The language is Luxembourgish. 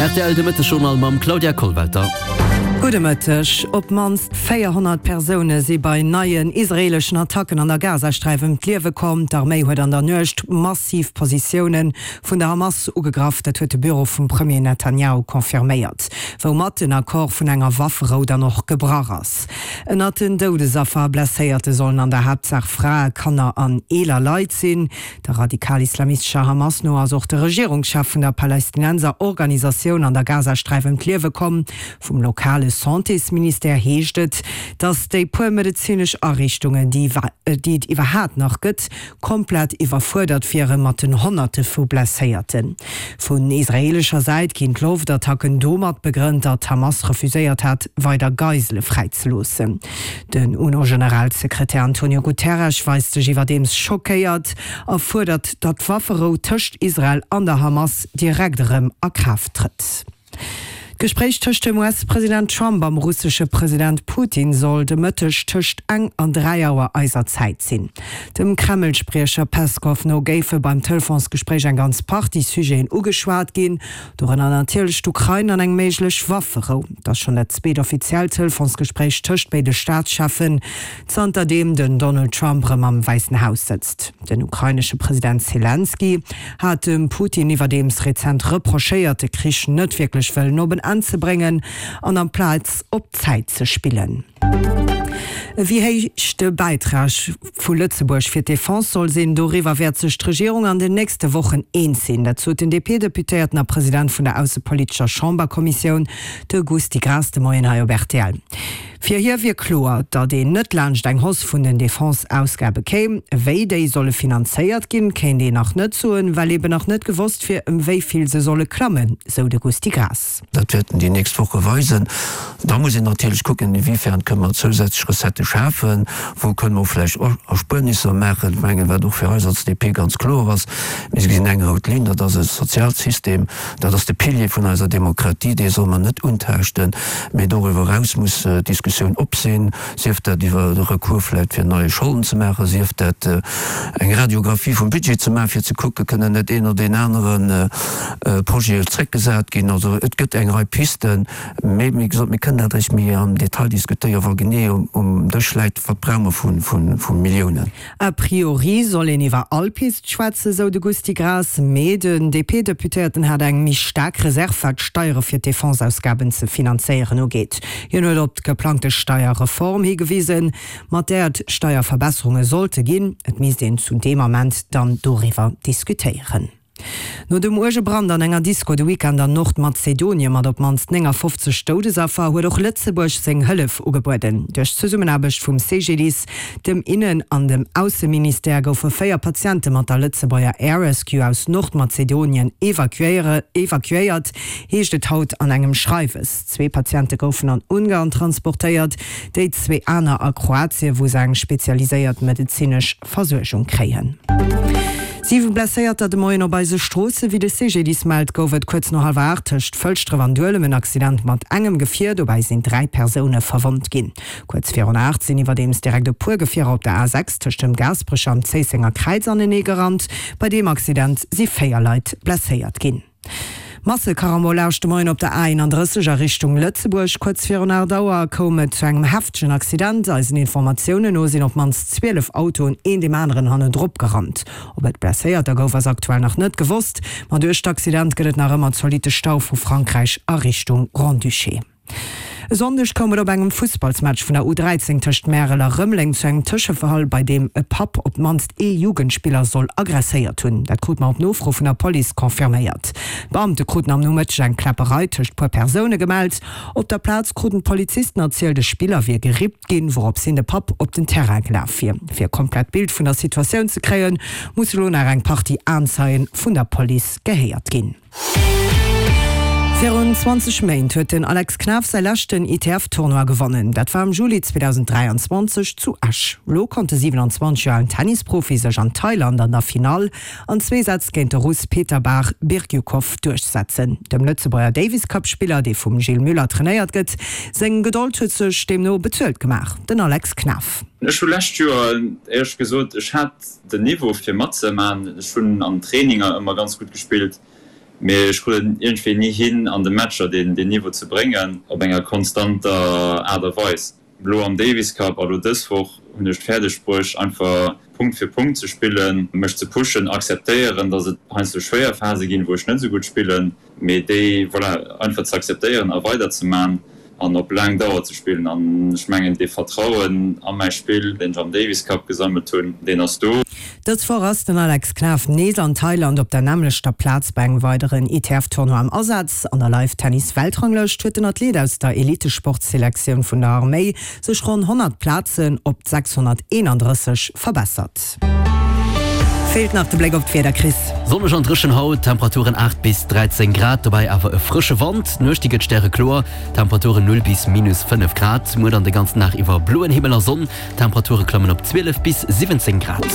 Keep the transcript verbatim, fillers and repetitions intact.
Rtl, De Mëttesjournal mam Claudia Kollwelter. Gudde Mëtteg. Op d'mannst véierhonnert Persoune si bei neien israeeleschen Attacken an der Gazasträif ëm d'Liewe komm. D'Arméi huet an der Nuecht massiv Positioune vun der Hamas ugegraff. Dat huet de Büro vum Premier Netanjahu confirméiert, woumat den Accord vun enger Wafferou dann och gebrach ass. Ënnert den Doudesaffer a Blesséierte sollen an der Haaptsaach Frae, Kanner an eeler Leit sinn. Der radikal-islamistescher Hamas no ass och de Regierungschef vun der Palästinenser-Organisatioun an der Gazasträif ëm d'Liewe komm. Vum lokale Santésministère heescht et, datt déi puer medezinesch Ariichtungen, déi et iwwerhaat nach gëtt, komplett iwwerfuerdert wiere mat den Honnerte vu Blesséierten. Vun israeelescher Säit ginn d'Loftattacken domat begrënnt, datt d'Hamas refuséiert hat, weider Geisele fräizeloossen. Den UNO-Generalsekretär Antonio Guterres weist sech iwwerdeems schockéiert a fuerdert, datt d'Wafferou tëscht Israel an der Hamas direkt erëm a Kraaft trëtt. D'Gespréich tëscht dem US-President Trump am russesche President Putin soll de Mëtteg tëscht eng an dräi Auer eiser Zäit sinn. Dem Kreml-Spriecher Peskow no géife beim Telefonsgespréich eng ganz Partie Sujeten ugeschwat ginn, dorënner natierlech d'Ukrain an eng méiglech Wafferou. Et ass schonn dat zweet offiziellt Telefonsgespréich tëscht béide Staatscheffen, zanterdeem den Donald Trump erëm am Wäissen Haus sëtzt. Den ukrainesche President Selenskyj hat dem Putin iwwerdeems rezent reprochéiert, de Krich net wierklech wëllen op en Enn ze bréngen an amplaz op Zäit ze spillen. Wéi héich de Bäitrag vu Lëtzebuerg fir d'Defense soll sinn, doriwwer wäert sech d'Regierung an den nächste Wochen eens sinn. Dat sot den D P-Deputéierten a President vun der aussepolitescher Chamberkommissioun, de Gusty Graas, de Moien hei op R T L. Fir hie wier kloer, datt een net laanscht eng Hausse vun den Defense-Ausgabe kéim. Wéi déi solle finanzéiert ginn, kéint een nach net soen, well eben nach net gewosst wier, ëm wéi vill se solle klammen, sou de Gusty Graas. Dat wäerten déi nächst Woche weisen. Da muss een natierlech kucken, inwiefern kënne mer zousätzlech Recettë schafen, wou kënne mer och vläicht Erspuernisser maachen. Ech mengen, wat och fir eis als D P ganz kloer ass, mir gesinn eng rout Linn, dat ass e Sozialsystem, dat ass de Pilier vun eiser Demokratie, dee soll mer net untaaschten. Mee doriwwer eraus muss d'Diskussioun op sinn, sief dat iwwer de Recours vläicht fir neie Scholden ze maachen, sief dat eng Radiographie vum Budget ze maachen, fir ze kucken, kënnen net een oder deen anere Projet zréckgesat ginn. Also et gëtt eng Rei Pisten, mee wéi gesot, mir kënnen dat eréischt méi am Detail diskutéieren, wa genee um Dësch läit, wat brauche mer vu Milliounen. A priori soll een iwwer all Pist schwätzen, sou de Gusty Graas, mee den D P-Deputéierten hat eng méi staark Reserv, wat d'Steiere fir d'Defense-Ausgaben ze finanzéieren ugeet. Hien huet op d'geplangte Steierreform higewisen, mat där et Steierverbesserunge sollte ginn. Et misst een zu deem Ament dann doriwwer diskutéieren. No dem uerge Brand an enger Disco de Weekend an Nordmazedonie mat op d'mannst néngafofzeg Doudesaffer huet och Lëtzebuerg seng Hëllef ugebueden. Duerch d'Zesummenaarbecht vum C G D I S, dem Innen an dem Ausseministère goufe véier Patiente mat der Lëtzebuerger Air Rescue aus Nordmazedonien evakuéiert, heescht et haut an engem Schreiwes. Zwee Patiente goufen an Ungarn transportéiert, déi zwee aner a Kroatien, wou se eng spezialiséiert medezinesch Versuergung kréien. Siwe Blesséierter de Moien op eise Stroossen. Wéi de C G D I S mellt, gouf et kuerz no hallwer aacht tëscht Fëlschdref an Duelem en Accident mat engem Gefier. Dobäi sinn dräi Persoune verwonnt ginn. Kuerz virun aacht sinn iwwerdeems direkt e puer Gefierer op der A sechs tëscht dem Gaasperecher an Zéissenger Kräiz anenee gerannt. Bei deem Accident si véier Leit blesséiert ginn. Massekarambolage de Moien op der A eenandrësseg a Richtung Lëtzebuerg. Kuerz virun aacht Auer koum et zu engem heftegen Accident. Eisen Informatiounen no sinn op d'mannst zwielef Autoen een deem aneren hannendrop gerannt. Ob et Blesséierter gouf, ass aktuell nach net gewosst. Ma duerch d'Accident gëtt et nach ëmmer zolitte Stau vu Frankräich a Richtung Grand-Duché. E Sonndeg koum et op engem Fussballsmatch vun der U dräizéng tëscht Märel a Rëmeleng zu engem Tëschefall, bei deem e Papp op d'mannst ee Jugendspiller soll aggresséiert hunn. Dat krute mer op Nofro vun der Police confirméiert. D'Beamte kruten am Nomëtteg eng Kläpperei tëscht puer Persoune gemellt. Op der Plaz kruten d'Polizisten erzielt, e Spiller wier gerippt ginn, wouropshin de Papp op den Terrain gelaf wier. Fir e komplett Bild vun der Situatioun ze kréien, muss elo nach eng Partie Aenzeien vun der Police gehéiert ginn. Virun zwanzeg Méint huet den Alex Knaff säi leschten I T F-Tournoi gewonnen. Dat war am Juli zweedausenddräianzwanzeg zu Esch. Elo konnt de siewenanzwanzeg Joer alen Tennisprofi sech an Thailand an der Finall an zwee Sätz géint de Russ Peter-Bar Birjukow duerchsetzen. Dem Lëtzebuerger Davis-Cup-Spiller, dee vum Gilles Müller trainéiert gëtt, seng Gedold huet sech deemno bezuelt gemaach. Den Alex Knaff. Ech hu lescht Joer éierlech gesot, ech hat den Niveau fir matzemaachen. Ech hunn an Traininger ëmmer ganz gutt gespillt. Mee ech krut et iergendwéi ni hin, an de Matcher deen Niveau ze bréngen op enger konstanter Aart a Weis. Elo am Davis Cup a lo dës Woch hunn ech et fäerdeg bruecht, einfach Punkt fir Punkt ze spillen, mech ze pushen, akzeptéieren, datt et heiansdo schwéier Phase ginn, wou ech net esou gutt spillen, mee déi, voilà, einfach ze akzeptéieren a weiderzeman an op laang Dauer ze spillen. An ech mengen, dee Vertrauen a mäi Spill, deen ech am Davis Cup gesammelt hunn, deen ass do. Dës Woch ass den Alex Knaff nees an Thailand op der nämmlechter Plaz bei engem weideren I T F-Tournoi am Asaz. An der Live-Tennis-Weltranglëscht huet den Athlet aus der Elitesportselektioun vun der Arméi sech ronn honnert Plazen op sechshonnerteenandrësseg verbessert. Feelt nach de Bléck op d'Wieder, Chris. Sonneg an dréchen haut, Temperaturen aacht bis dräizéng Grad, dobäi awer e frësche Wand. D'Nuecht déi gëtt stärekloer, Temperaturen null bis minus fënnef Grad. Muer dann de ganzen Dag iwwer bloen Himmel a Sonn, Temperature klammen op zwielef bis siwwenzéng Grad.